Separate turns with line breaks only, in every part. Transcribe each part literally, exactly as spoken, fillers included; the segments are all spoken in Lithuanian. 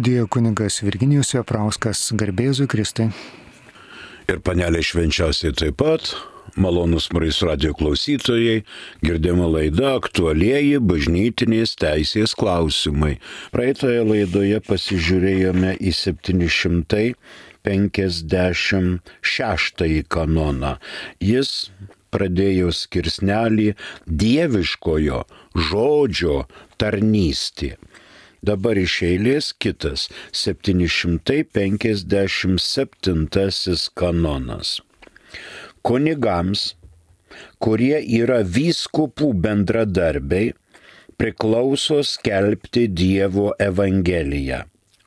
Dievo kunigas Virginijus Veprauskas, garbėzui Kristui.
Ir panelė švenčiausiai taip pat, malonus Marijos radijo klausytojai, girdima laida aktualieji bažnytinės teisės klausimai. Praeitoje laidoje pasižiūrėjome į septyni šimtai penkiasdešimt šeštąjį kanoną. Jis pradėjo skirsnelį dieviškojo žodžio tarnystė. Dabar iš eilės kitas septyni šimtai penkiasdešimt septintasis kanonas. Kunigams, kurie yra vyskupų bendradarbiai, priklauso skelbti Dievo evangeliją.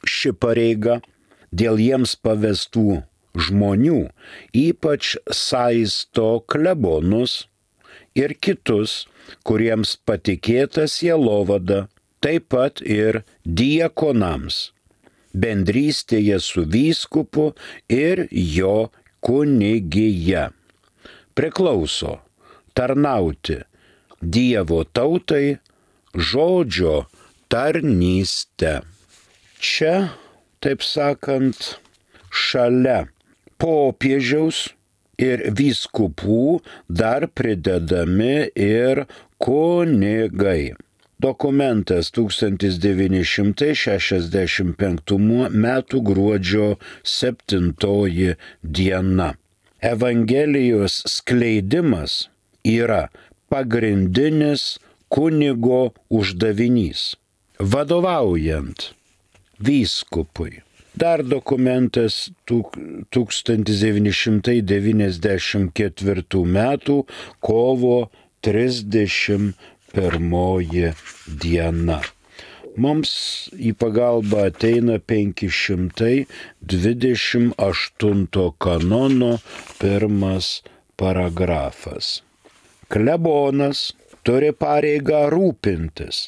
Ši pareiga dėl jiems pavestų žmonių ypač saisto klebonus ir kitus, kuriems patikėta sielovada, taip pat ir diakonams, bendrystėje su vyskupu ir jo kunigija. Priklauso tarnauti Dievo tautai žodžio tarnystę. Čia, taip sakant, šalia popiežiaus ir vyskupų dar pridedami ir kunigai. Dokumentas tūkstantis devyni šimtai šešiasdešimt penktų metų gruodžio septintoji diena. Evangelijos skleidimas yra pagrindinis kunigo uždavinys, vadovaujant vyskupui. Dar dokumentas tūkstantis devyni šimtai devyniasdešimt ketvirtų metų kovo trisdešimt pirmoji diena. Mums į pagalbą ateina penki šimtai dvidešimt aštunto kanono pirmas paragrafas. Klebonas turi pareigą rūpintis,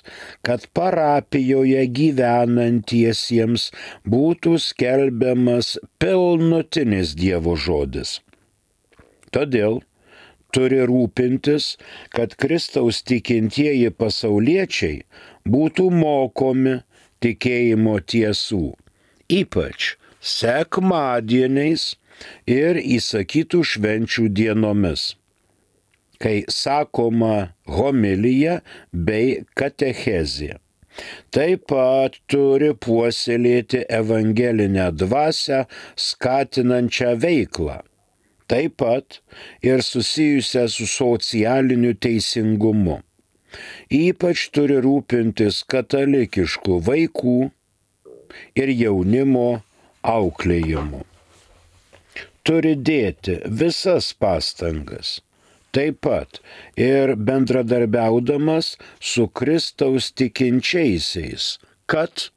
kad parapijoje gyvenantiesiems būtų skelbiamas pilnutinis Dievo žodis. Todėl turi rūpintis, kad Kristaus tikintieji pasauliečiai būtų mokomi tikėjimo tiesų, ypač sekmadieniais ir įsakytų švenčių dienomis, kai sakoma homilija bei katechezė. Taip pat turi puoselėti evangelinę dvasią skatinančią veiklą. Taip pat ir susijusią su socialiniu teisingumu. Ypač turi rūpintis katalikiškų vaikų ir jaunimo auklėjimu. Turi dėti visas pastangas, taip pat ir bendradarbiaudamas su Kristaus tikinčiaisiais, kad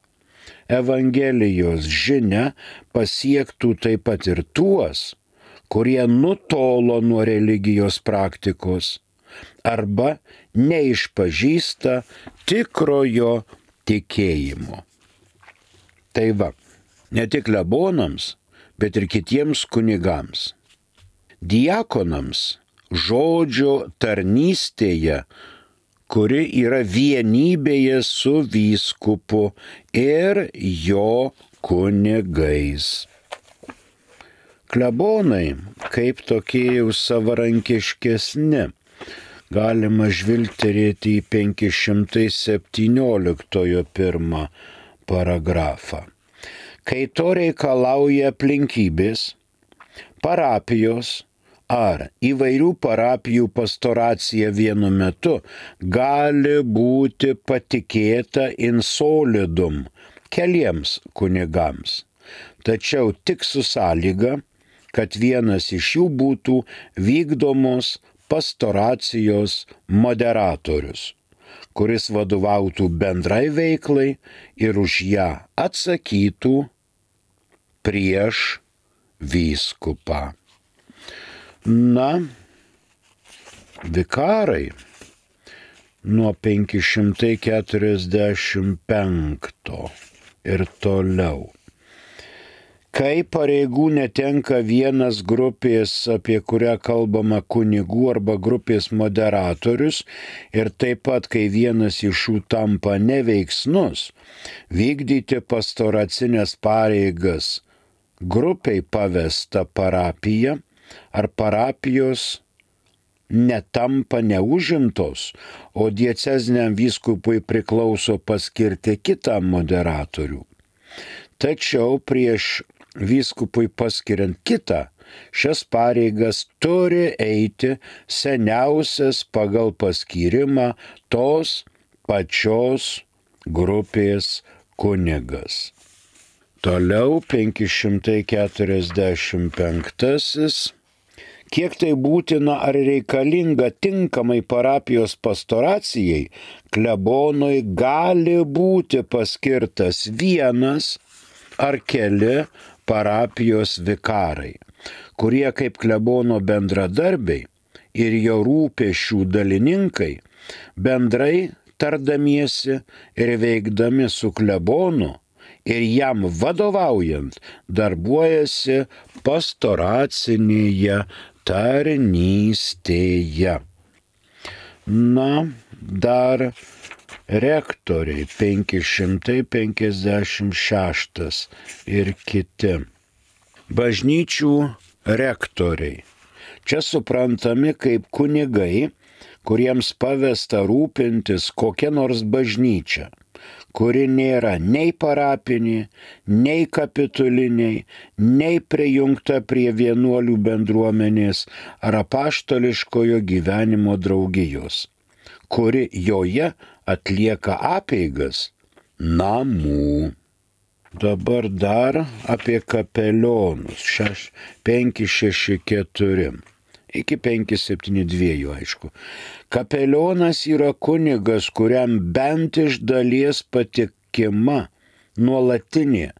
Evangelijos žinia pasiektų taip pat ir tuos, kurie nutolo nuo religijos praktikos arba neišpažįsta tikrojo tikėjimo. Tai va, ne tik klebonams, bet ir kitiems kunigams. Diakonams žodžio tarnystėje, kuri yra vienybėje su vyskupu ir jo kunigais. Klebonai, kaip tokie jau savarankiškesni, galima žvilgterėti į penki šimtai septynioliktojo pirmą paragrafą. Kai to reikalauja aplinkybės, parapijos ar įvairių parapijų pastoracija vienu metu gali būti patikėta in solidum keliems kunigams, tačiau tik su sąlyga, kad vienas iš jų būtų vykdomos pastoracijos moderatorius, kuris vadovautų bendrai veiklai ir už ją atsakytų prieš vyskupą. Na, vikarai nuo penki šimtai keturiasdešimt penkto ir toliau. Kai pareigų netenka vienas grupės, apie kurią kalbama kunigų arba grupės moderatorius, ir taip pat, kai vienas iš jų tampa neveiksnus, vykdyti pastoracinės pareigas grupiai pavesta parapija ar parapijos netampa neužimtos, o dieceziniam vyskupui priklauso paskirti kitą moderatorių. Tačiau prieš vyskupui paskiriant kitą, šias pareigas turi eiti seniausias pagal paskyrimą tos pačios grupės kunigas. Toliau penki šimtai keturiasdešimt penktasis. Kiek tai būtina ar reikalinga tinkamai parapijos pastoracijai, klebonui gali būti paskirtas vienas ar keli parapijos vikarai, kurie kaip klebono bendradarbiai ir jo rūpesčių dalininkai bendrai tardamiesi ir veikdami su klebonu ir jam vadovaujant darbuojasi pastoracinėje tarnystėje. Na, dar rektoriai penki šimtai penkiasdešimt šeštas ir kiti. Bažnyčių rektoriai. Čia suprantami kaip kunigai, kuriems pavesta rūpintis kokia nors bažnyčia, kuri nėra nei parapinė, nei kapituliniai, nei prijungta prie vienuolių bendruomenės ar apaštališkojo gyvenimo draugijos, kuri joje atlieka apeigas namų. Dabar dar apie kapelionus. penki šeši keturi. Iki penki septyni du, aišku. Kapelionas yra kunigas, kuriam bent iš dalies patikima nuolatinė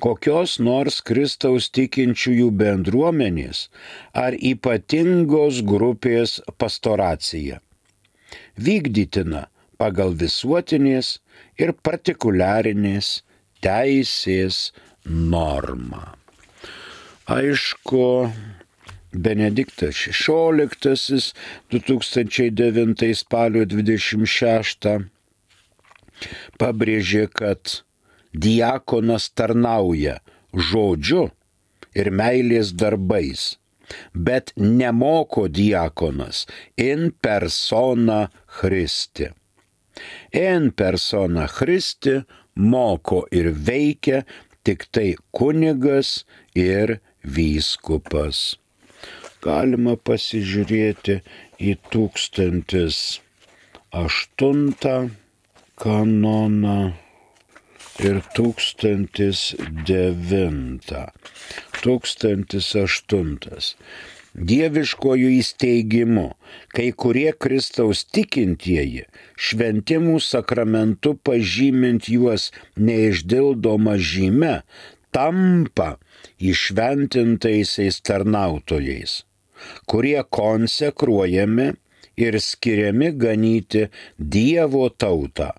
kokios nors Kristaus tikinčiųjų bendruomenės ar ypatingos grupės pastoracija. Vykdytina pagal visuotinės ir partikuliarinės teisės normą. Aišku, Benediktas šešioliktasis du tūkstančiai devintais spalio dvidešimt šeštą pabrėžė, kad diakonas tarnauja žodžiu ir meilės darbais, bet nemoko diakonas in persona Christi. In persona Christi moko ir veikia tik tai kunigas ir vyskupas. Galima pasižiūrėti į tūkstantis aštuntą kanoną ir tūkstantis devintą. Tūkstantis aštuntas. Dieviškojų įsteigimu, kai kurie Kristaus tikintieji šventimų sakramentu pažymint juos neišdildoma žyme, tampa įšventintaisiais tarnautojais, kurie konsekruojami ir skiriami ganyti Dievo tautą,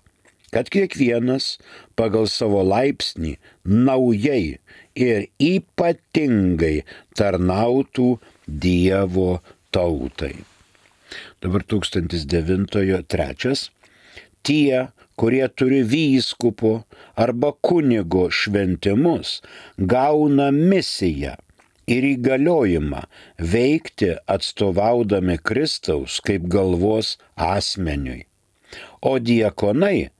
kad kiekvienas pagal savo laipsnį naujai ir ypatingai tarnautų Dievo tautai. Dabar tūkstantis devintojo trečias. Tie, kurie turi vyskupo arba kunigo šventimus, gauna misiją ir įgaliojimą veikti atstovaudami Kristaus kaip galvos asmeniui. O diakonai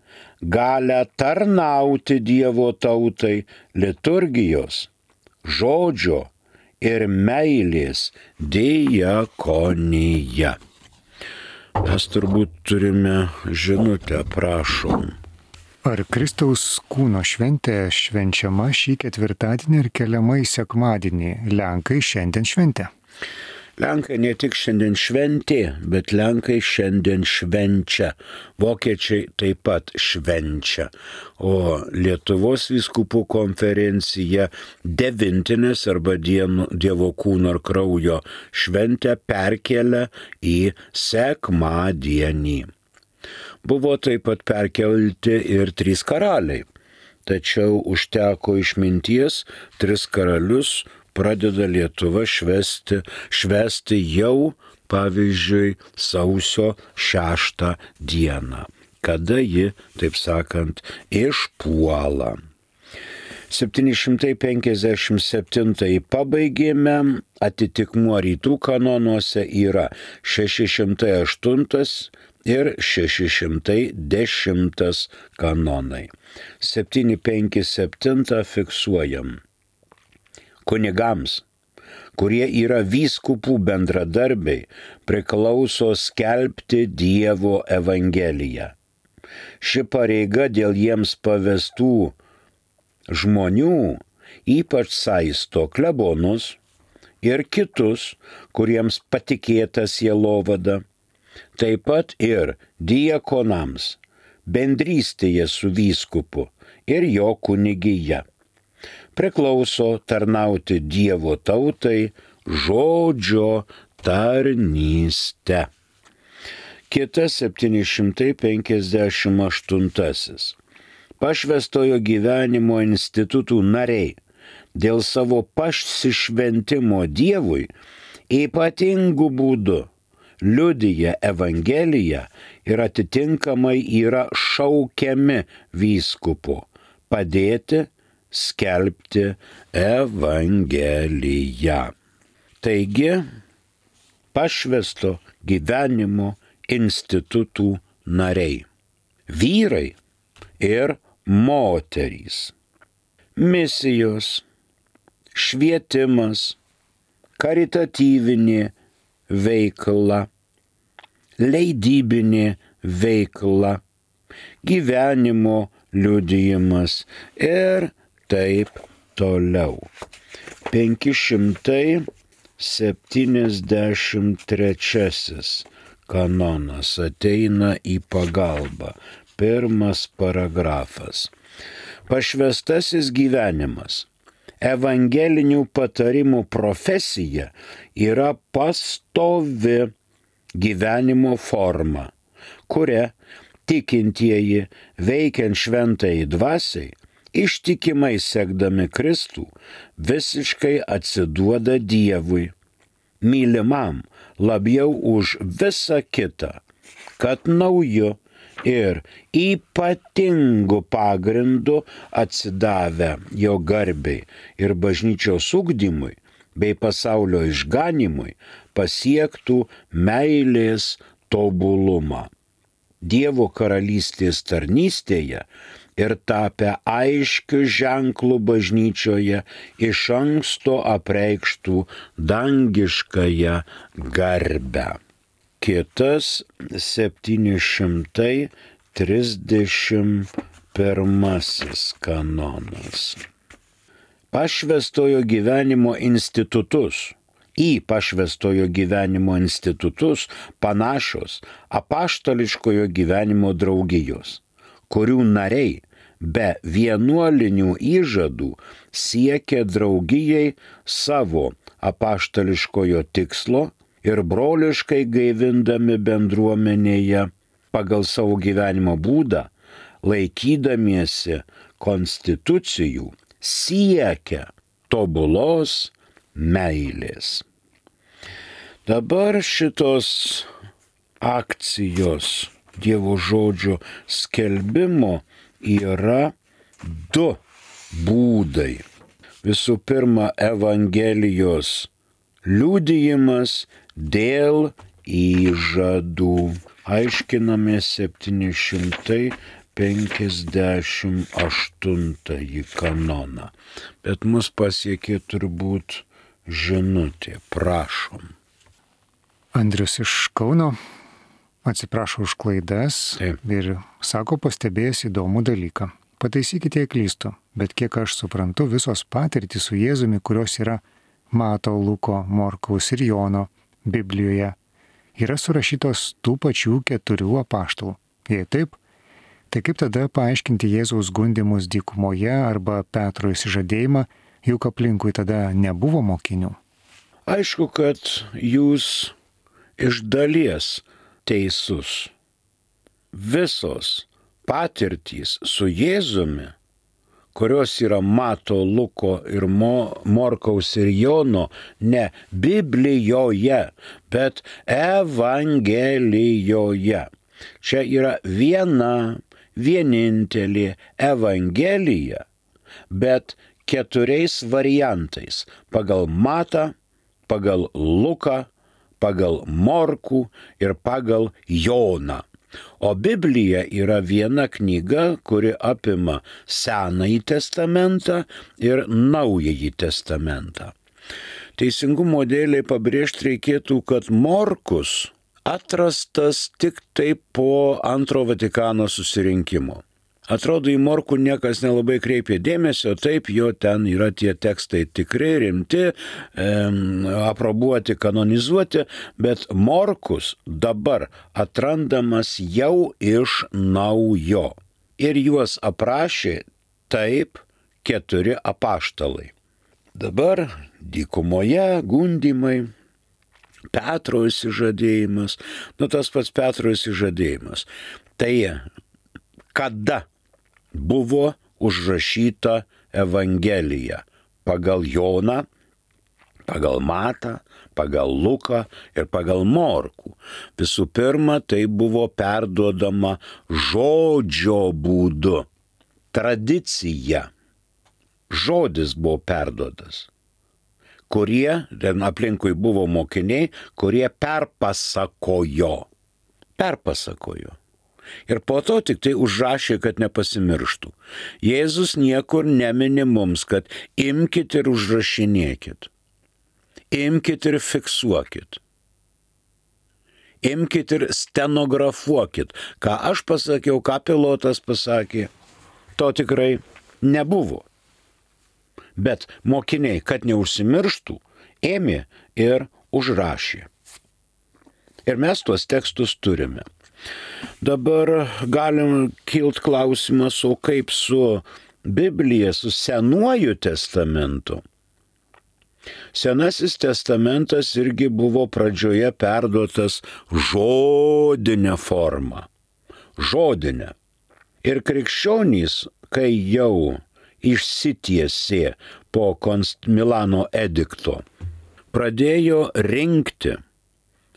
gali tarnauti Dievo tautai liturgijos, žodžio ir meilės diakonija. Mes turbūt turime žinutę, prašom.
Ar Kristaus kūno šventė švenčiama šį ketvirtadienį ir keliama į sekmadienį? Lenkai šiandien šventė.
Lenkai ne tik šiandien šventė, bet Lenkai šiandien švenčia. Vokiečiai taip pat švenčia. O Lietuvos vyskupų konferencija devintinės arba Dievo kūno ir kraujo šventę perkelia į sekmadienį. Buvo taip pat perkelti ir trys karaliai. tačiau užteko išminties, tris karalius pradeda Lietuva švesti, švesti jau, pavyzdžiui, sausio šeštą dieną, kada ji, taip sakant, išpuola. septyni šimtai penkiasdešimt septintąjį pabaigėme, atitikmuo rytų kanonuose yra šeši šimtai aštuntas ir šeši šimtai dešimtas kanonai. septyni penki septyni fiksuojam. Kunigams, kurie yra vyskupų bendradarbiai, priklauso skelbti Dievo evangeliją. Ši pareiga dėl jiems pavestų žmonių ypač saisto klebonus ir kitus, kuriems patikėta sielovada, taip pat ir diakonams, bendrystėje su vyskupu ir jo kunigija. Priklauso tarnauti Dievo tautai žodžio tarnystę. Kitas septyni šimtai penkiasdešimt aštuntasis. Pašvęstojo gyvenimo institutų nariai dėl savo pasišventimo Dievui ypatingų būdų liudija Evangeliją ir atitinkamai yra šaukiami vyskupu padėti skelbti Evangeliją. Taigi, pašvęsto gyvenimo institutų nariai. Vyrai ir moterys. Misijos, švietimas, karitatyvinė veikla, leidybinė veikla, gyvenimo liudijimas ir taip toliau. penki šimtai septyniasdešimt trečiasis kanonas ateina į pagalbą. Pirmas paragrafas. Pašvęstasis gyvenimas. Evangelinių patarimų profesija yra pastovi gyvenimo forma, kuria tikintieji veikiant šventai dvasiai, ištikimai sekdami Kristų, visiškai atsiduoda Dievui, mylimam labiau už visą kitą, kad nauju ir ypatingu pagrindu atsidavę jo garbei ir bažnyčios ugdymui bei pasaulio išganimui pasiektų meilės tobulumą. Dievo karalystės tarnystėje ir tapę aiškiu ženklu bažnyčioje iš anksto apreikštų dangiškąją garbę. Kitas septyni šimtai trisdešimt pirmasis kanonas. Pašvęstojo gyvenimo institutus. Į pašvęstojo gyvenimo institutus panašios apaštališkojo gyvenimo draugijos, kurių nariai be vienuolinių įžadų siekia draugijai savo apaštališkojo tikslo ir broliškai gaivindami bendruomenėje pagal savo gyvenimo būdą, laikydamiesi konstitucijų, siekia tobulos meilės. Dabar šitos akcijos Dievo žodžio skelbimo yra du būdai. Visų pirma, Evangelijos liudijimas dėl įžadų. Aiškiname septyni šimtai penkiasdešimt aštuntąjį kanoną. Bet mus pasiekė turbūt žinutė. Prašom.
Andrius iš Kauno atsiprašo už klaidas. Taip. Ir sako pastebėjęs įdomų dalyką. Pataisykite, jei klystu, bet kiek aš suprantu, visos patirtys su Jėzumi, kurios yra Mato, Luko, Morkaus ir Jono Biblijoje, yra surašytos tų pačių keturių apaštalų. Jei taip, tai kaip tada paaiškinti Jėzaus gundymus dykumoje arba Petro išsižadėjimą, juk aplinkui tada nebuvo mokinių?
Aišku, kad jūs iš dalies teisus. Visos patirtys su Jėzumi, kurios yra Mato, Luko ir Mo, Morkaus ir Jono, ne Biblijoje, bet Evangelijoje. Čia yra viena, vienintelė Evangelija, bet keturiais variantais – pagal Matą, pagal Luką, pagal Morkų ir pagal Joną. O Biblija yra viena knyga, kuri apima Senąjį testamentą ir Naująjį testamentą. Teisingumo dėliai pabrėžti reikėtų, kad Morkus atrastas tik tai po Antro Vatikano susirinkimo. Atrodo, į Morkų niekas nelabai kreipė dėmesio, taip, jo ten yra tie tekstai tikrai rimti, e, aprobuoti, kanonizuoti, bet Morkus dabar atrandamas jau iš naujo. Ir juos aprašė taip keturi apaštalai. Dabar dykumoje gundymai, Petro išsižadėjimas, nu tas pats Petro išsižadėjimas. Tai kada buvo užrašyta Evangelija? Pagal Joną, pagal Matą, pagal Luką ir pagal Morkų. Visų pirma, tai buvo perduodama žodžio būdu. Tradicija. Žodis buvo perduodas. Kurie, ten aplinkui buvo mokiniai, kurie perpasakojo. Perpasakojo. Ir po to tik tai užrašė, kad nepasimirštų. Jėzus niekur nemini mums, kad imkit ir užrašinėkit. Imkit ir fiksuokit. Imkit ir stenografuokit. Ką aš pasakiau, ką pilotas pasakė, to tikrai nebuvo. Bet mokiniai, kad neužsimirštų, ėmė ir užrašė. Ir mes tuos tekstus turime. Dabar galim kilt klausimas, o kaip su Biblija, su Senuoju testamentu? Senasis testamentas irgi buvo pradžioje perduotas žodinė forma. Žodinė. Ir krikščionys, kai jau išsitiesė po Konst Milano edikto, pradėjo rinkti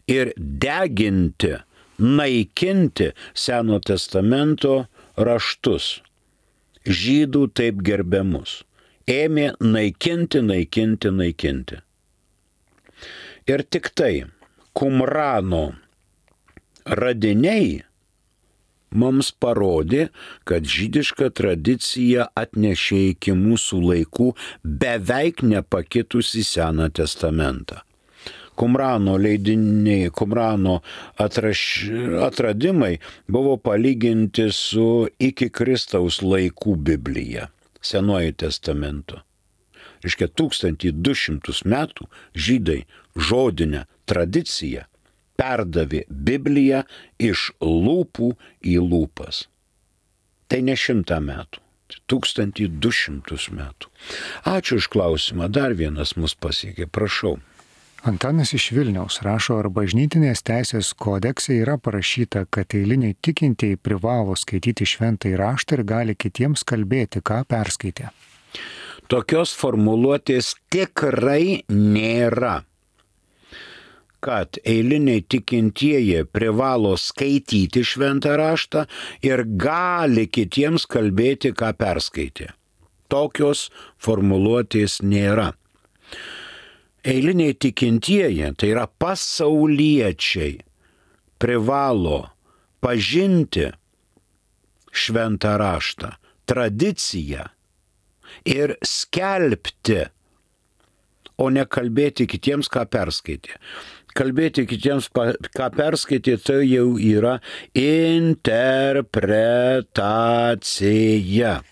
ir deginti, naikinti Seno testamento raštus, žydų taip gerbiamus. Ėmė naikinti, naikinti, naikinti. Ir tik tai Kumrano radiniai mums parodė, kad žydiška tradicija atnešė iki mūsų laikų beveik nepakitusi Seną testamentą. Kumrano leidiniai, Kumrano atraš, atradimai buvo palyginti su iki Kristaus laikų Biblija, Senuoju testamentu. Reiškia, tūkstantį du šimtus metų žydai žodinę tradiciją perdavė Bibliją iš lūpų į lūpas. Tai ne šimtą metų, tūkstantį du šimtus metų. Ačiū už klausimą, dar vienas mus pasiekė, prašau.
Antanas iš Vilniaus rašo, ar bažnytinės teisės kodekse yra parašyta, kad eiliniai tikintieji privalo skaityti šventąjį raštą ir gali kitiems kalbėti, ką perskaitė.
Tokios formuluotės tikrai nėra, kad eiliniai tikintieji privalo skaityti šventą raštą ir gali kitiems kalbėti, ką perskaitė. Tokios formuluotės nėra. Eiliniai tikintieji, tai yra pasauliečiai, privalo pažinti šventą raštą, tradiciją ir skelbti, o ne kalbėti kitiems, ką perskaitė. Kalbėti kitiems, ką perskaitė, tai jau yra interpretacija.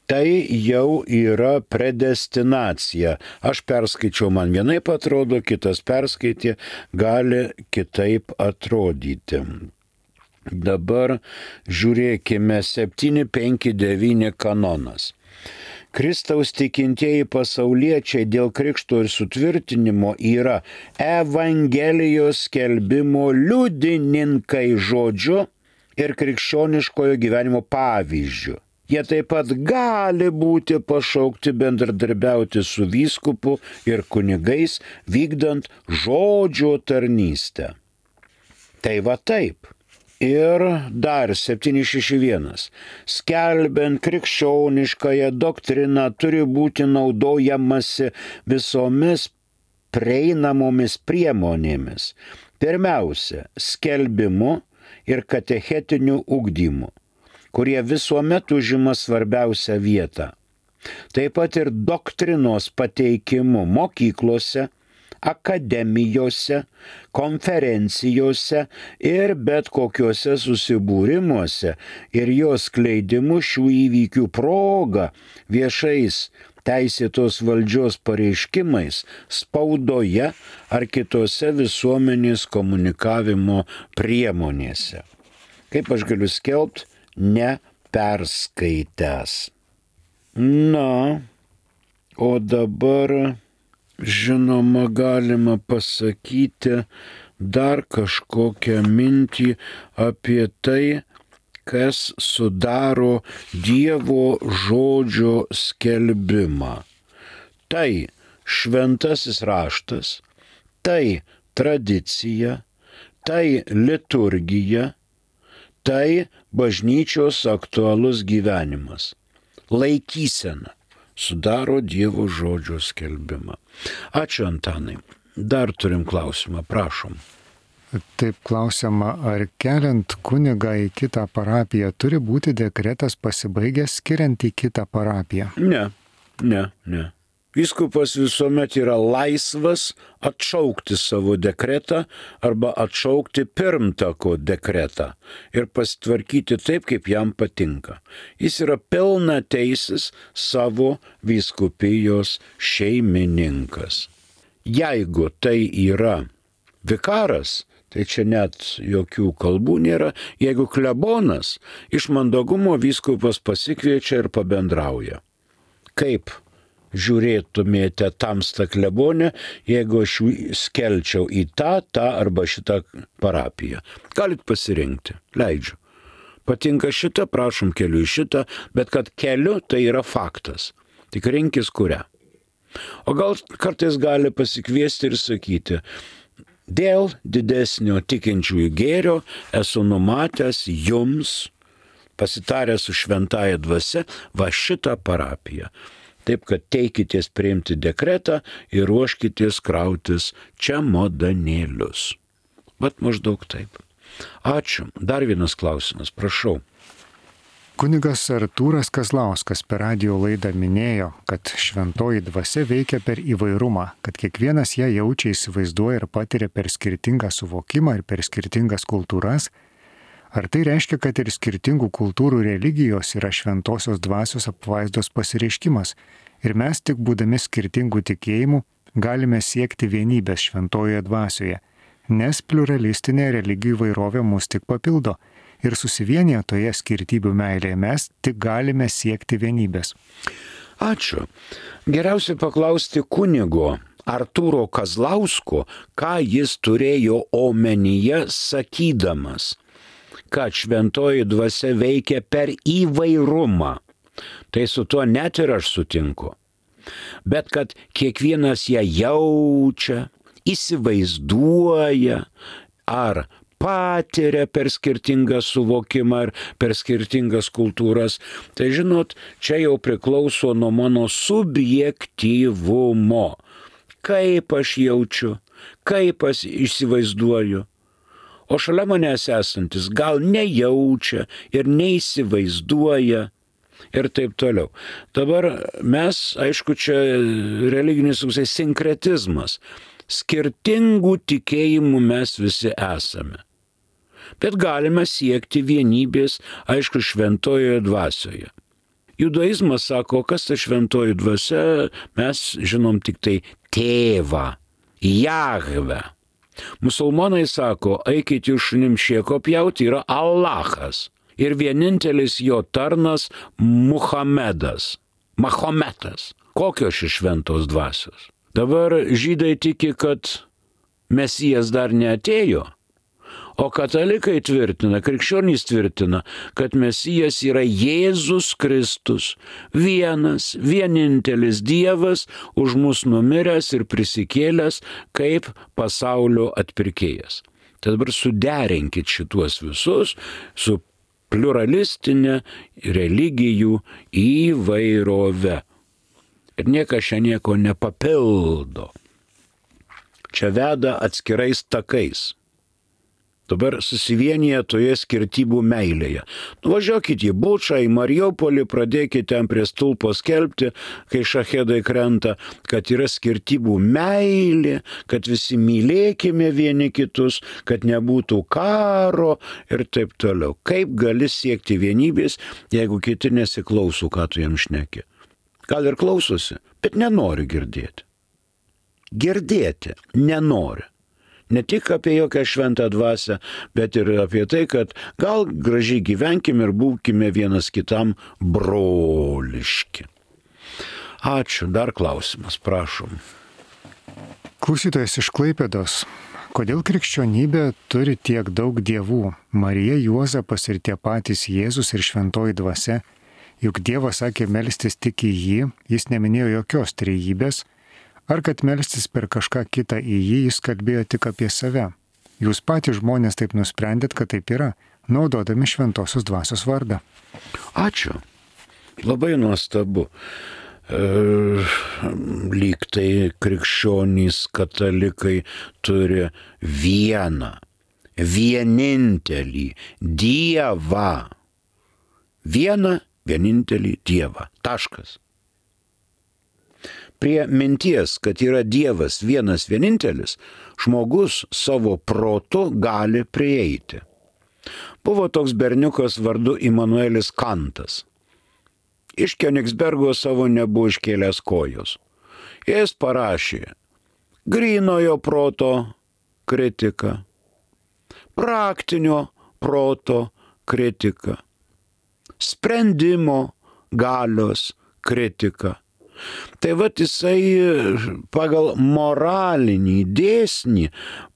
Tai jau yra predestinacija. Aš perskaičiau, man vienaip atrodo, kitas perskaitė, gali kitaip atrodyti. Dabar žiūrėkime septyni penki devyni kanonas. Kristaus tikintieji pasauliečiai dėl krikšto ir sutvirtinimo yra Evangelijos skelbimo liudininkai žodžiu ir krikščioniškojo gyvenimo pavyzdžiu. Jie taip pat gali būti pašaukti bendradarbiauti su vyskupu ir kunigais, vykdant žodžio tarnystę. Tai va taip. Ir dar septyni šeši vienas. Skelbiant krikščioniškąją doktriną turi būti naudojamasi visomis prieinamomis priemonėmis. Pirmiausia, skelbimu ir katechetiniu ugdymu, kurie visuomet užima svarbiausią vietą. Taip pat ir doktrinos pateikimu mokyklose, akademijose, konferencijose ir bet kokiuose susibūrimuose ir jos skleidimu šių įvykių proga viešais teisėtos valdžios pareiškimais spaudoje ar kitose visuomenės komunikavimo priemonėse. Kaip aš galiu skelbti, neperskaitęs. Na, o dabar, žinoma, galima pasakyti dar kažkokią mintį apie tai, kas sudaro Dievo žodžio skelbimą. Tai šventasis raštas, tai tradicija, tai liturgija, tai bažnyčios aktualus gyvenimas. Laikysena sudaro Dievo žodžio skelbimą. Ačiū, Antanai. Dar turim klausimą, prašom.
Taip klausiama, ar keliant kunigą į kitą parapiją turi būti dekretas pasibaigęs skiriant į kitą parapiją?
Ne, ne, ne. Vyskupas visuomet yra laisvas atšaukti savo dekretą arba atšaukti pirmtako dekretą ir pasitvarkyti taip, kaip jam patinka. Jis yra pilna teisis savo vyskupijos šeimininkas. Jeigu tai yra vikaras, tai čia net jokių kalbų nėra. Jeigu klebonas, iš mandagumo vyskupas pasikviečia ir pabendrauja. Kaip žiūrėtumėte tamstą klebonę, jeigu aš skelčiau į tą, tą arba šitą parapiją? Galit pasirinkti, leidžiu. Patinka šitą, prašom, keliu į šitą, bet kad keliu, tai yra faktas. Tik rinkis kurią. O gal kartais gali pasikviesti ir sakyti, dėl didesnio tikinčiųjų gėrio esu numatęs jums, pasitaręs su šventąja dvasia, va šitą parapiją. Taip, kad teikitės priimti dekretą ir ruoškitės krautis čemodanėlius. Bet maždaug taip. Ačiū. Dar vienas klausimas, prašau.
Kunigas Artūras Kazlauskas per radijo laidą minėjo, kad šventoji dvasia veikia per įvairumą, kad kiekvienas ją jaučia, įsivaizduoja ir patiria per skirtingą suvokimą ir per skirtingas kultūras. Ar tai reiškia, kad ir skirtingų kultūrų religijos yra šventosios dvasios apvaizdos pasireiškimas ir mes tik būdami skirtingų tikėjimų galime siekti vienybės šventojoje dvasioje, nes pluralistinė religijų įvairovė mus tik papildo. Ir susivienyje toje skirtybių meilėje mes tik galime siekti vienybės.
Ačiū. Geriausia paklausti kunigo Artūro Kazlausko, ką jis turėjo omenyje sakydamas, kad šventoji dvasia veikia per įvairumą. Tai su tuo net ir aš sutinku. Bet kad kiekvienas ją jaučia, įsivaizduoja ar patiria per skirtingą suvokimą ir per skirtingas kultūras, tai žinot, čia jau priklauso nuo mano subjektyvumo. Kaip aš jaučiu, kaip aš įsivaizduoju. O šalia manęs esantis gal nejaučia ir neįsivaizduoja ir taip toliau. Dabar mes, aišku, čia religinis sinkretizmas. Skirtingų tikėjimų mes visi esame. Bet galime siekti vienybės, aišku, šventojoje dvasioje. Judaizmas sako, kas ta šventoji dvasia, mes žinom tik tai tėvą, Jahvę. Musulmonai sako, eikit jūs šunim šieko pjauti, yra Allahas. Ir vienintelis jo tarnas Muhamedas, Mahometas. Kokios iš šventos dvasios? Dabar žydai tiki, kad Mesijas dar neatėjo. O katalikai tvirtina, krikščionys tvirtina, kad Mesijas yra Jėzus Kristus, vienas, vienintelis Dievas, už mus numiręs ir prisikėlęs kaip pasaulio atpirkėjas. Tad dabar suderinkit šituos visus su pluralistinė religijų įvairove. Ir niekas čia nieko nepapildo. Čia veda atskirais takais. Dabar susivienyje toje skirtybų meilėje. Nuvažiuokit į Bučą, į Mariupolį, pradėkite ten prie stulpo skelbti, kai šahedai krenta, kad yra skirtybų meilė, kad visi mylėkime vieni kitus, kad nebūtų karo ir taip toliau. Kaip gali siekti vienybės, jeigu kiti nesiklauso, ką tu jam šneki? Gal ir klausosi, bet nenori girdėti. Girdėti nenori. Ne tik apie jokią šventą dvasią, bet ir apie tai, kad gal gražiai gyvenkim ir būkime vienas kitam broliški. Ačiū. Dar klausimas, prašom.
Klausytojas iš Klaipėdos. Kodėl krikščionybė turi tiek daug dievų? Marija, Juozapas ir tie patys Jėzus ir šventoji dvasia. Juk Dievas sakė melstis tik į jį, jis neminėjo jokios trejybės. Ar kad melstis per kažką kitą į jį, jis kalbėjo tik apie save? Jūs patys žmonės taip nusprendėt, kad taip yra, naudodami šventosios dvasios vardą.
Ačiū. Labai nuostabu. E, lyg tai krikščionys katalikai turi vieną, vienintelį Dievą. Vieną, vienintelį Dievą. Taškas. Prie minties, kad yra Dievas vienas vienintelis, žmogus savo protu gali prieiti. Buvo toks berniukas vardu Immanuelis Kantas. Iš Königsbergo savo nebuvo iškėlęs kojos. Jis parašė grynojo proto kritiką, praktinio proto kritiką, sprendimo galios kritiką. Tai vat jisai pagal moralinį dėsnį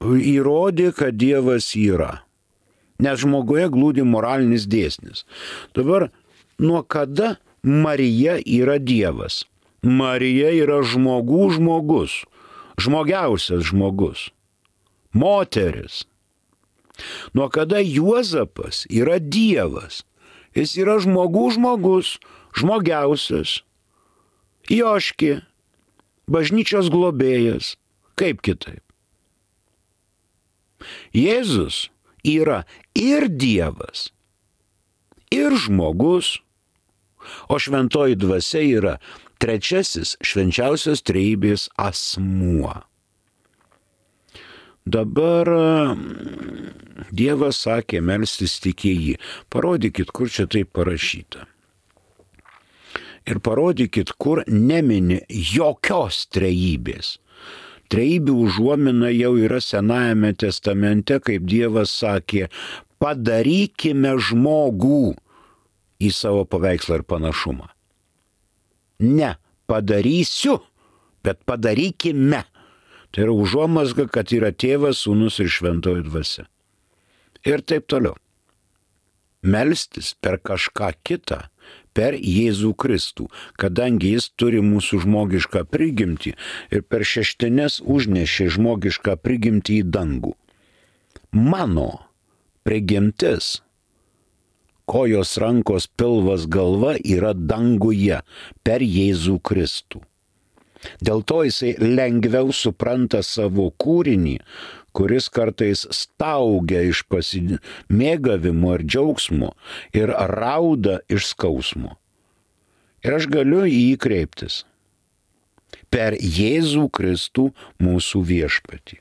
įrodė, kad Dievas yra. Nes žmoguje glūdi moralinis dėsnis. Dabar nuo kada Marija yra Dievas? Marija yra žmogų žmogus, žmogiausias žmogus, moteris. Nuo kada Juozapas yra Dievas? Jis yra žmogų žmogus, žmogiausias. Joški, bažnyčios globėjas, kaip kitaip. Jėzus yra ir Dievas, ir žmogus, o šventoji dvasia yra trečiasis švenčiausios trejybės asmuo. Dabar Dievas sakė melstis tik į jį. Parodykit, kur čia taip parašyta. Ir parodykit, kur nemini jokios trejybės. Trejybių užuomina jau yra Senajame testamente, kaip Dievas sakė, padarykime žmogų į savo paveikslą ir panašumą. Ne padarysiu, bet padarykime. Tai yra užuomazga, kad yra Tėvas, Sūnus ir šventoji dvasia. Ir taip toliau. Melstis per kažką kitą, per Jėzų Kristų, kadangi jis turi mūsų žmogišką prigimtį ir per šeštines užnešė žmogišką prigimtį į dangų. Mano prigimtis, kojos, rankos, pilvas, galva yra danguje per Jėzų Kristų. Dėl to jisai lengviau supranta savo kūrinį, kuris kartais staugia iš pasimėgavimo ir džiaugsmo ir rauda iš skausmo. Ir aš galiu į jį kreiptis per Jėzų Kristų mūsų viešpatį.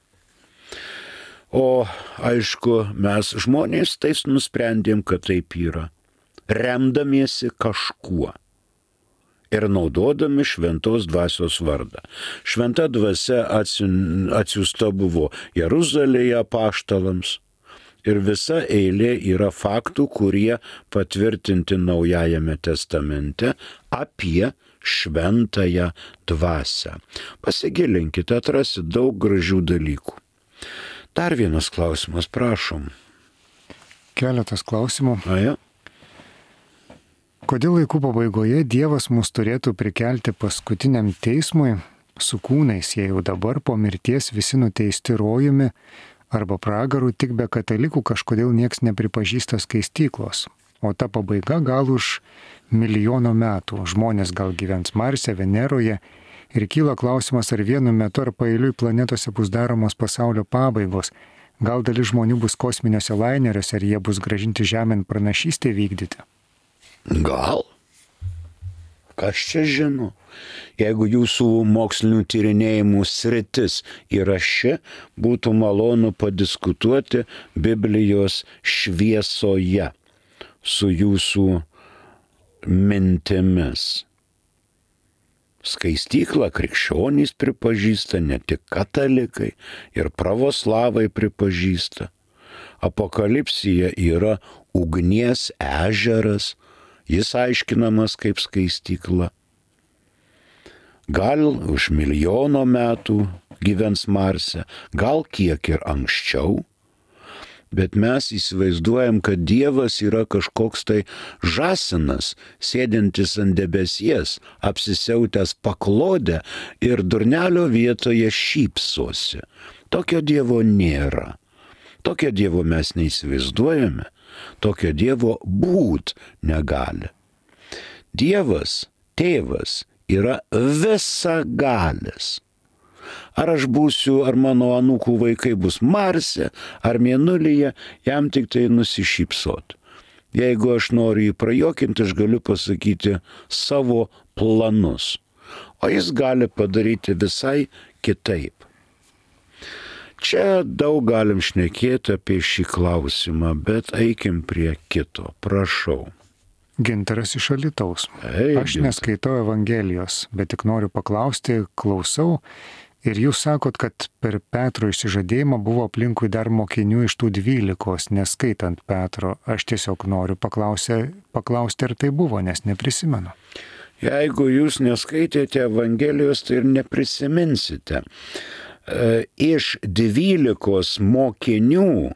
O aišku, mes žmonės tais nusprendėm, kad taip yra, remdamiesi kažkuo ir naudodami šventos dvasios vardą. Šventa dvasia atsiųsta buvo Jeruzalėje apaštalams ir visa eilė yra faktų, kurie patvirtinti Naujajame testamente apie šventąją dvasią. Pasigilinkite, atrasit daug gražių dalykų. Dar vienas klausimas, prašom.
Keletas klausimų.
Aja.
Kodėl laikų pabaigoje Dievas mus turėtų prikelti paskutiniam teismui su kūnais, jei jau dabar po mirties visi nuteisti rojumi arba pragaru, tik be katalikų kažkodėl nieks nepripažįsta skaistyklos. O ta pabaiga gal už milijono metų. Žmonės gal gyvens Marse, Veneroje ir kyla klausimas, ar vienu metu ar paeiliui planetose bus daromos pasaulio pabaigos. Gal dalis žmonių bus kosminiuose laineriuose, ar jie bus gražinti žemėn pranašystę vykdyti?
Gal? Kas čia žino? Jeigu jūsų mokslinių tyrinėjimų sritis yra ši, būtų malonu padiskutuoti Biblijos šviesoje su jūsų mintimis. Skaistyklą krikščionys pripažįsta, ne tik katalikai, ir pravoslavai pripažįsta. Apokalipsija yra ugnies ežeras, jis aiškinamas kaip skaistykla. Gal už milijono metų gyvens Marse, gal kiek ir anksčiau, bet mes įsivaizduojam, kad Dievas yra kažkoks tai žąsinas, sėdintis ant debesies, apsisiautęs paklodę ir durnelio vietoje šypsosi. Tokio Dievo nėra. Tokio Dievo mes neįsivaizduojame. Tokio Dievo būt negali. Dievas, tėvas, yra visagalis. Ar aš būsiu, ar mano anūkų vaikai bus Marse, ar Mėnulyje, jam tik tai nusišypsot. Jeigu aš noriu jį prajokinti, aš galiu pasakyti savo planus. O jis gali padaryti visai kitaip. Čia daug galim šnekėti apie šį klausimą, bet eikim prie kito. Prašau.
Gintaras iš Alytaus.
Ei,
aš neskaitau Evangelijos, bet tik noriu paklausti, klausau. Ir jūs sakot, kad per Petro išsižadėjimą buvo aplinkui dar mokinių iš tų dvylikos, neskaitant Petro. Aš tiesiog noriu paklausti, paklausti, ar tai buvo, nes neprisimenu.
Jeigu jūs neskaitėte Evangelijos, tai ir neprisiminsite. Iš dvylikos mokinių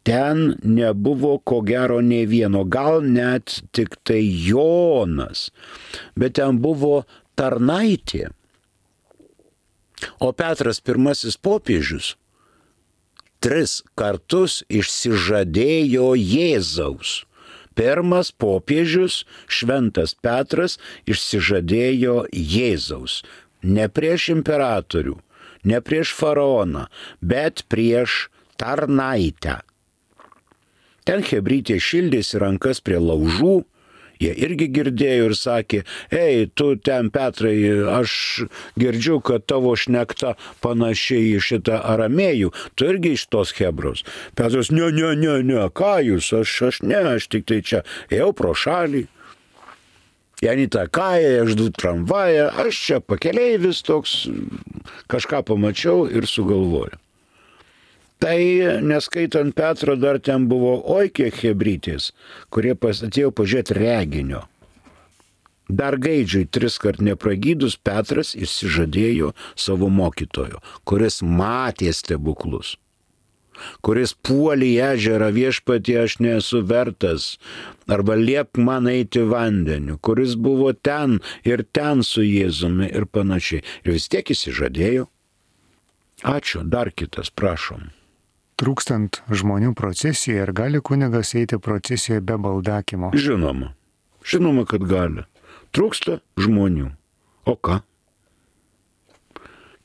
ten nebuvo ko gero nei vieno, gal net tik tai Jonas, bet ten buvo tarnaitė. O Petras pirmasis popiežius tris kartus išsižadėjo Jėzaus. Pirmas popiežius, šventas Petras, išsižadėjo Jėzaus. Ne prieš imperatorių, ne prieš faraoną, bet prieš tarnaitę. Ten chebrytė šildėsi rankas prie laužų. Jie irgi girdėjo ir sakė, ei, tu ten, Petrai, aš girdžiu, kad tavo šnekta panašiai į šitą aramėjų, tu irgi iš tos hebros. Petras, ne, ne, ne, ne, ką jūs, aš, aš ne, aš tik tai čia ėjau pro šalį. Janita Kaja, aš du tramvają, aš čia pakeleivis toks, kažką pamačiau ir sugalvoju. Tai, neskaitant Petro, dar ten buvo oi kiek hebrytės, kurie atėjo pažiūrėti reginio. Dar gaidžiui tris kart nepragydus Petras išsižadėjo savo mokytojo, kuris matė stebuklus, kuris puolė į ežerą viešpatie aš nesu vertas, arba liepk man eiti vandeniu, kuris buvo ten ir ten su Jėzumi ir panašiai. Ir vis tiek išsižadėjo. Ačiū, dar kitas, prašom.
Trūkstant žmonių procesijoje, ar gali kunigas eiti procesijoje be baldakimo?
Žinoma. Žinoma, kad gali. Trūksta žmonių. O ką?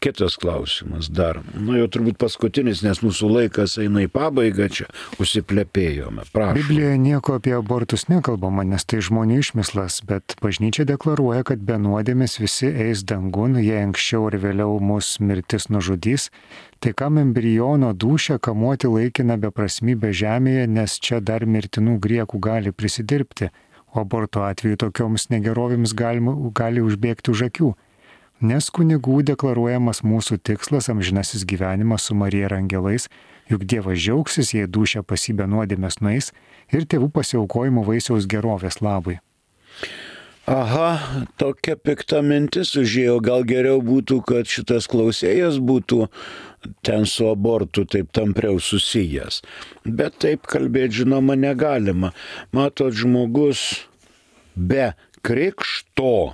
Kitas klausimas dar. Nu jau turbūt paskutinis, nes mūsų laikas eina į pabaigą, čia užsiplepėjome. Prašom.
Biblijoje nieko apie abortus nekalbama, nes tai žmonių išmislas, bet bažnyčia deklaruoja, kad be nuodėmės visi eis dangun, jei anksčiau ar vėliau mus mirtis nužudys. Tai kam embriono dūšią kamuoti laikiną beprasmybę žemėje, nes čia dar mirtinų griekų gali prisidirbti, o aborto atveju tokioms negerovėms gali, gali užbėgti už akių. Nes kunigų deklaruojamas mūsų tikslas amžinasis gyvenimas su Marija ir angelais, juk Dievas džiaugsis, jei dūšia pasibė nuodėmės nueis ir tėvų pasiaukojimo vaisiaus gerovės labui.
Aha, tokia pikta mintis užėjo, gal geriau būtų, kad šitas klausėjas būtų ten su abortu taip tampriau susijęs. Bet taip kalbėti, žinoma, negalima. Matot, žmogus be krikšto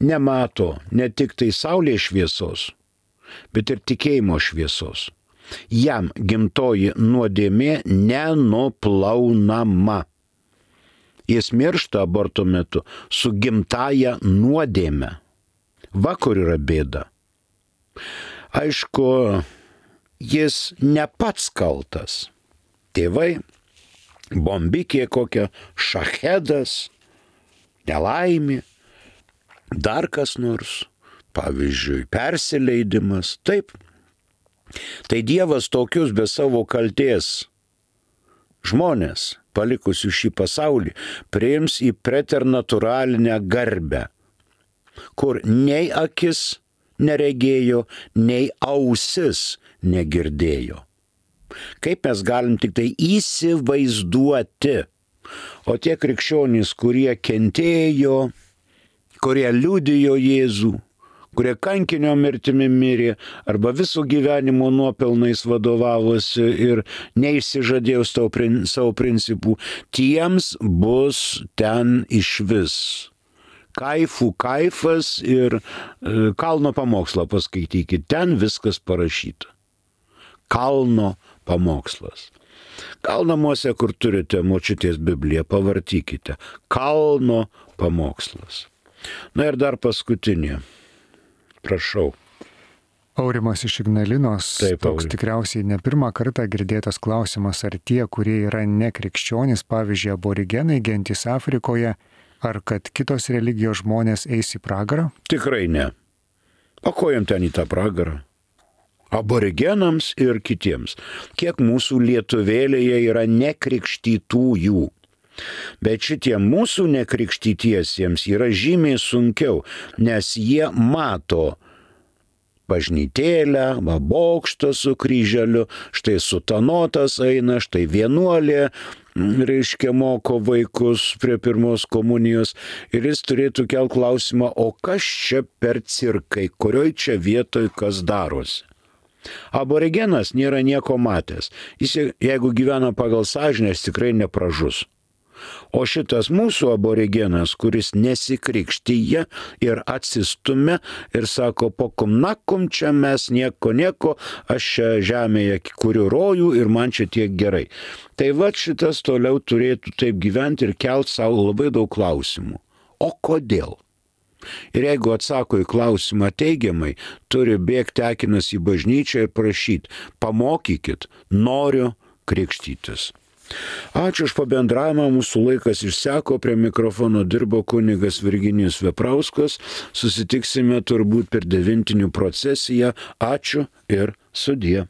nemato ne tik tai saulės šviesos, bet ir tikėjimo šviesos. Jam gimtoji nuodėmė nenuplaunama. Jis miršta aborto metu su gimtaja nuodėme. Va kur yra bėda. Aišku, jis ne pats kaltas. Tėvai, bombikė kokia, šachedas, nelaimė, dar kas nors, pavyzdžiui, persileidimas. Taip. Tai Dievas tokius be savo kaltės žmonės, palikusių šį pasaulį, priims į preternatūralinę garbę, kur nei akis neregėjo, nei ausis negirdėjo. Kaip mes galim tik tai įsivaizduoti, o tie krikščionys, kurie kentėjo, kurie liudijo Jėzų, kurie kankinio mirtimi mirė, arba visų gyvenimo nuopelnais vadovavosi ir neišsižadėjo savo principų, tiems bus ten išvis kaifų kaifas ir e, kalno pamokslą paskaitykite, ten viskas parašyta. Kalno pamokslas. Gal namuose, kur turite močiutės Bibliją, pavartykite. Kalno pamokslas. Na ir dar paskutinė. Prašau.
Aurimas iš Ignalinos.
Taip,
toks
Auri.
Tikriausiai ne pirmą kartą girdėtas klausimas, ar tie, kurie yra nekrikščionys, pavyzdžiui, aborigenai, gentys Afrikoje, ar kad kitos religijos žmonės eis į pragarą?
Tikrai ne. O ko jam ten į tą pragarą? Aborigenams ir kitiems. Kiek mūsų lietuvėlėje yra nekrikštytųjų. Bet šitie mūsų nekrikštytiesiems yra žymiai sunkiau, nes jie mato bažnytėlę, va bokštą su kryželiu, štai sutanotas eina, štai vienuolė, reiškia, moko vaikus prie pirmos komunijos ir jis turėtų kelt klausimą, o kas čia per cirkai, kurioj čia vietoj kas darosi. Aborigenas nėra nieko matęs, jis jeigu gyvena pagal sąžinę, jis tikrai nepražus. O šitas mūsų aborigenas, kuris nesikrikštyja ir atsistumia ir sako, pokum nakum čia mes nieko nieko, aš čia žemėje kuriu rojų ir man čia tiek gerai. Tai va šitas toliau turėtų taip gyventi ir kelt savo labai daug klausimų. O kodėl? Ir jeigu atsako į klausimą teigiamai, turi bėgti akinas į bažnyčią ir prašyti, pamokykit, noriu krikštytis. Ačiū už pabendravimą, mūsų laikas išseko, prie mikrofono dirbo kunigas Virginijus Veprauskas, susitiksime turbūt per devintinių procesiją, ačiū ir sudie.